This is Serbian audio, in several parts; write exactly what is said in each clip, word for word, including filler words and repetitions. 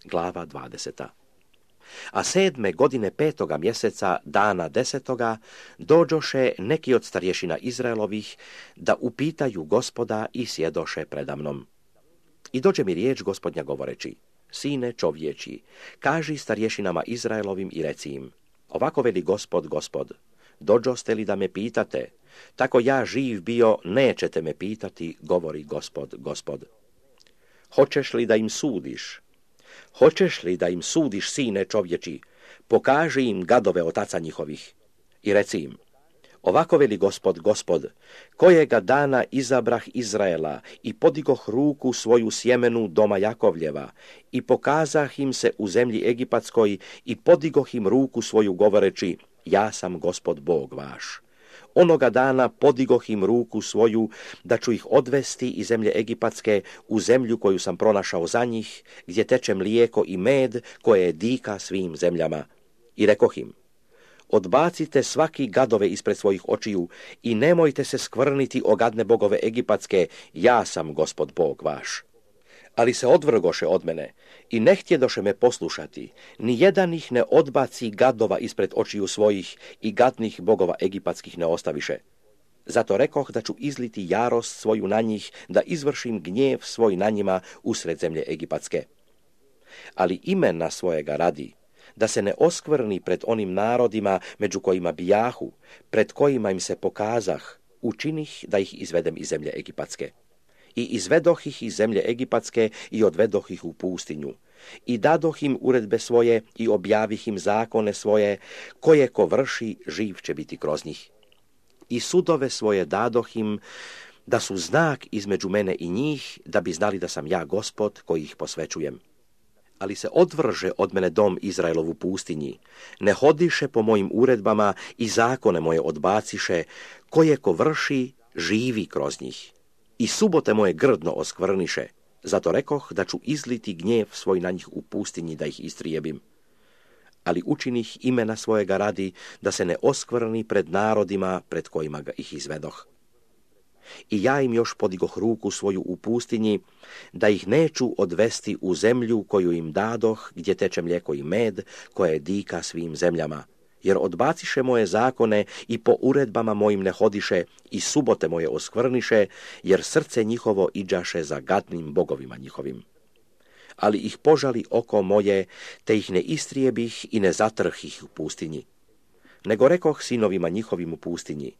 Glava dvadeseta. A sedme godine petoga mjeseca, dana desetoga, dođoše neki od starješina Izraelovih da upitaju Gospoda i sjedoše predamnom. I dođe mi riječ Gospodnja govoreći: Sine čovječi, kaži starješinama Izraelovim i reci im: ovako veli Gospod, Gospod, dođoste li da me pitate? Tako ja živ bio, nećete me pitati, govori Gospod, Gospod. Hoćeš li da im sudiš? Hoćeš li da im sudiš, sine čovječi? Pokaži im gadove otaca njihovih i reci im: ovako veli Gospod, Gospod, kojega dana izabrah Izraela i podigoh ruku svoju sjemenu doma Jakovljeva i pokazah im se u zemlji Egipatskoj i podigoh im ruku svoju govoreći: ja sam Gospod Bog vaš. Onoga dana podigoh im ruku svoju da ću ih odvesti iz zemlje Egipatske u zemlju koju sam pronašao za njih, gdje teče mlijeko i med, koje je dika svim zemljama. I rekoh im: odbacite svaki gadove ispred svojih očiju i nemojte se skvrniti o gadne bogove Egipatske, ja sam Gospod Bog vaš. Ali se odvrgoše od mene i ne htjedoše me poslušati, ni jedan ih ne odbaci gadova ispred očiju svojih i gadnih bogova egipatskih ne ostaviše. Zato rekoh da ću izliti jarost svoju na njih, da izvršim gnjev svoj na njima usred zemlje Egipatske. Ali imena svojega radi, da se ne oskvrni pred onim narodima među kojima bijahu, pred kojima im se pokazah, učinih da ih izvedem iz zemlje Egipatske. I izvedoh ih iz zemlje Egipatske i odvedoh ih u pustinju. I dadoh im uredbe svoje i objavih im zakone svoje, koje ko vrši, živ će biti kroz njih. I sudove svoje dadoh im, da su znak između mene i njih, da bi znali da sam ja Gospod koji ih posvećujem. Ali se odvrže od mene dom Izraelov u pustinji, ne hodiše po mojim uredbama i zakone moje odbaciše, koje ko vrši, živi kroz njih. I subote moje grdno oskvrniše, zato rekoh da ću izliti gnjev svoj na njih u pustinji da ih istrijebim. Ali učinih imena svojega radi, da se ne oskvrni pred narodima pred kojima ga ih izvedoh. I ja im još podigoh ruku svoju u pustinji, da ih neću odvesti u zemlju koju im dadoh, gdje teče mlijeko i med, koje je dika svim zemljama. Jer odbaciše moje zakone i po uredbama mojim ne hodiše i subote moje oskvrniše, jer srce njihovo iđaše za gadnim bogovima njihovim. Ali ih požali oko moje, te ih ne istrijebih i ne zatrh ih u pustinji. Nego rekoh sinovima njihovim u pustinji: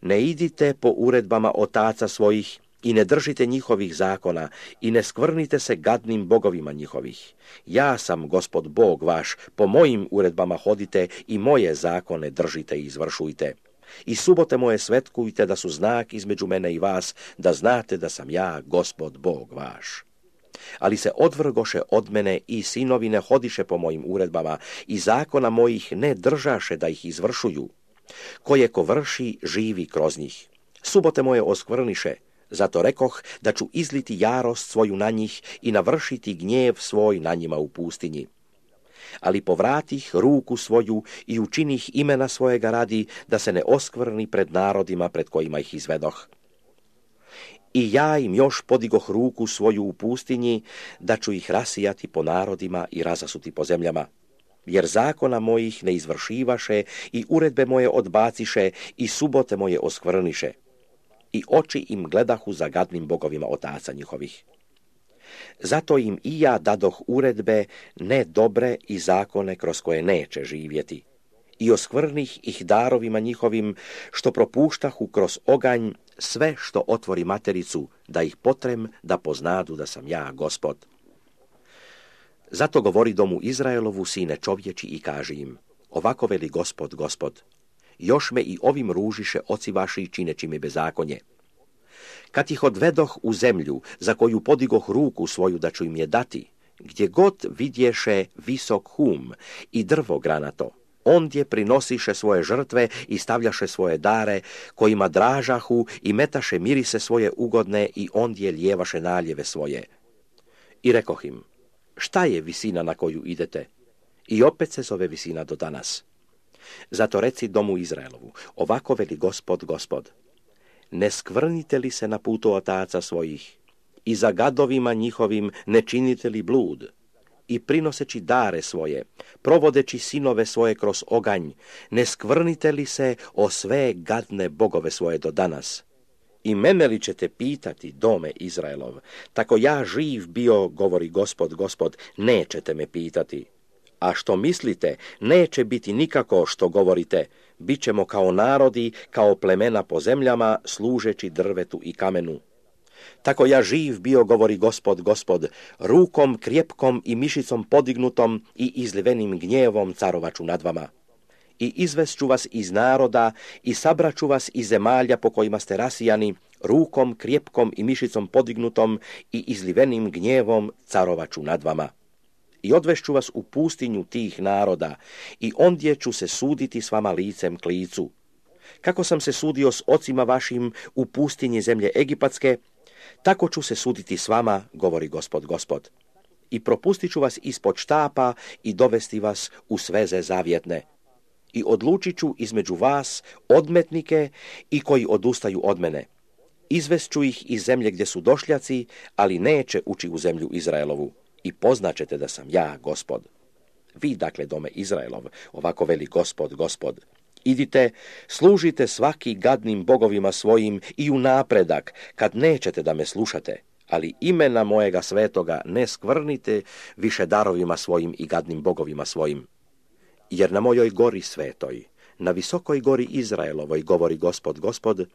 ne idite po uredbama otaca svojih i ne držite njihovih zakona i ne skvrnite se gadnim bogovima njihovih. Ja sam Gospod Bog vaš, po mojim uredbama hodite i moje zakone držite i izvršujte. I subote moje svetkujte da su znak između mene i vas, da znate da sam ja Gospod Bog vaš. Ali se odvrgoše od mene i sinovi ne hodiše po mojim uredbama i zakona mojih ne držaše da ih izvršuju. Koje ko vrši, živi kroz njih. Subote moje oskvrniše, zato rekoh da ću izliti jarost svoju na njih i navršiti gnjev svoj na njima u pustinji. Ali povratih ruku svoju i učinih imena svojega radi, da se ne oskvrni pred narodima pred kojima ih izvedoh. I ja im još podigoh ruku svoju u pustinji, da ću ih rasijati po narodima i razasuti po zemljama. Jer zakona mojih ne izvršivaše i uredbe moje odbaciše i subote moje oskvrniše. I oči im gledahu za gadnim bogovima otaca njihovih. Zato im i ja dadoh uredbe ne dobre i zakone kroz koje neće živjeti. I oskvrnih ih darovima njihovim, što propuštahu kroz oganj sve što otvori matericu, da ih potrem da poznadu da sam ja Gospod. Zato govori domu Izraelovu, sine čovječi, i kaži im: ovako veli Gospod, Gospod, još me i ovim ružiše oci vaši čineći mi bezakonje. Kad ih odvedoh u zemlju, za koju podigoh ruku svoju da ću im je dati, gdje god vidješe visok hum i drvo granato, ondje prinosiše svoje žrtve i stavljaše svoje dare, kojima dražahu i metaše mirise svoje ugodne i ondje lijevaše naljeve svoje. I rekoh im: šta je visina na koju idete? I opet se zove visina do danas. Zato reci domu Izraelovu: ovako veli Gospod, Gospod, ne skvrnite li se na putu otaca svojih i za gadovima njihovim ne činite li blud i prinoseći dare svoje, provodeći sinove svoje kroz oganj, ne skvrnite li se o sve gadne bogove svoje do danas? I mene li ćete pitati, dome Izraelov, tako ja živ bio, govori Gospod, Gospod, nećete me pitati. A što mislite, neće biti nikako što govorite, bit ćemo kao narodi, kao plemena po zemljama, služeći drvetu i kamenu. Tako ja živ bio, govori Gospod, Gospod, rukom krjepkom i mišicom podignutom i izlivenim gnjevom carovaću nad vama. I izvešću vas iz naroda i sabraću vas iz zemalja po kojima ste rasijani, rukom krjepkom i mišicom podignutom i izlivenim gnjevom carovaću nad vama. I odvešću vas u pustinju tih naroda i ondje ću se suditi s vama licem k licu. Kako sam se sudio s ocima vašim u pustinji zemlje Egipatske, tako ću se suditi s vama, govori Gospod, Gospod. I propustit ću vas ispod štapa i dovesti vas u sveze zavjetne. I odlučit ću između vas odmetnike i koji odustaju od mene. Izvest ću ih iz zemlje gdje su došljaci, ali neće ući u zemlju Izraelovu. I poznaćete da sam ja, Gospod. Vi, dakle, dome Izraelov, ovako veli Gospod, Gospod. Idite, služite svaki gadnim bogovima svojim i u napredak, kad nećete da me slušate, ali imena mojega svetoga ne skvrnite više darovima svojim i gadnim bogovima svojim. Jer na mojoj gori svetoj, na visokoj gori Izraelovoj, govori Gospod, Gospod,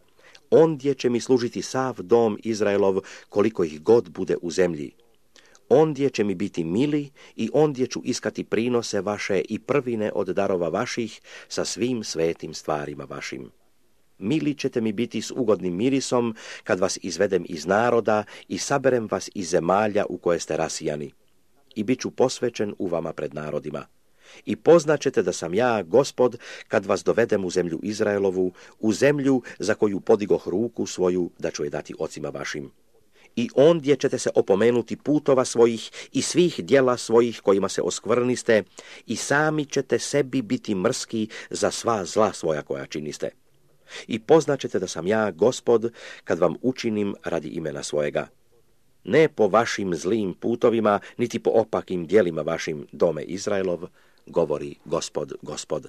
ondje će mi služiti sav dom Izraelov koliko ih god bude u zemlji. Ondje će mi biti mili i ondje ću iskati prinose vaše i prvine od darova vaših sa svim svetim stvarima vašim. Mili ćete mi biti s ugodnim mirisom kad vas izvedem iz naroda i saberem vas iz zemalja u koje ste rasijani. I bit ću posvećen u vama pred narodima. I poznaćete da sam ja, Gospod, kad vas dovedem u zemlju Izraelovu, u zemlju za koju podigoh ruku svoju da ću je dati ocima vašim. I ondje ćete se opomenuti putova svojih i svih djela svojih kojima se oskvrniste i sami ćete sebi biti mrski za sva zla svoja koja činiste. I poznaćete da sam ja, Gospod, kad vam učinim radi imena svojega. Ne po vašim zlim putovima, niti po opakim djelima vašim, dome Izraelov, govori Gospod, Gospod.